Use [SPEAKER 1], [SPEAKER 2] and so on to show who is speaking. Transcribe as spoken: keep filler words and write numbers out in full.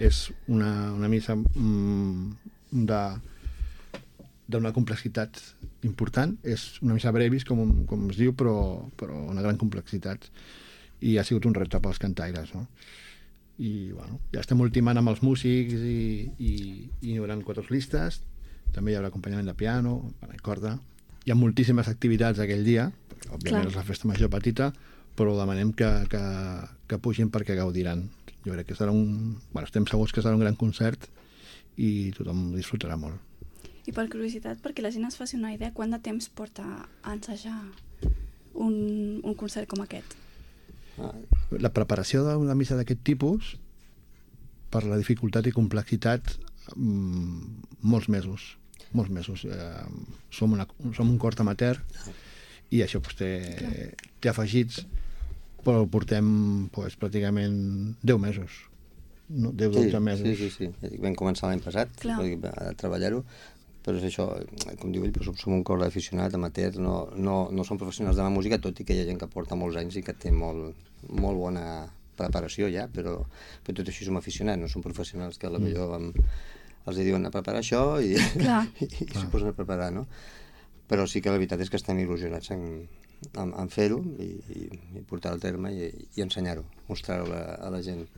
[SPEAKER 1] és una, una missa mm, de d'una complexitat important. És una missa brevis, com, com es diu, però, però una gran complexitat. I ha sigut un repte pels cantaires, no? I, bueno, ja estem ultimant amb els músics i, i, i hi haurà quatre listes. També hi haurà acompanyament de piano, corda. Hi ha moltíssimes activitats aquell dia, perquè, òbviament Clar. És la festa major petita, però demanem que, que, que pugin perquè gaudiran. Jo crec que serà un... Bueno, estem segurs que serà un gran concert i tothom disfrutarà molt.
[SPEAKER 2] I per curiositat, perquè la gent es faci una idea, quant de temps porta a ensejar un, un concert com aquest?
[SPEAKER 1] La preparació d'una missa d'aquest tipus, per la dificultat i complexitat, mmm, molts mesos. Molts mesos. Eh, som, una, som un cor amateur i això pues, té, té afegits, però portem pues, pràcticament deu mesos. No? deu dotze
[SPEAKER 3] sí,
[SPEAKER 1] mesos.
[SPEAKER 3] Sí, sí, sí. Vam començar l'any passat a treballar-ho, però és això, com diu ell, som, som un cor d'aficionat, amateur, no, no, no som professionals de la música, tot i que hi ha gent que porta molts anys i que té molt, molt bona preparació ja, però, però tot així som aficionats, no som professionals que potser vam, els diuen a preparar això i, i, i s'ho posen a preparar, no? Però sí que la veritat és que estem il·lusionats en, en, en fer-ho i, i, i portar-ho al terme i, i ensenyar-ho, mostrar-ho a, a la gent.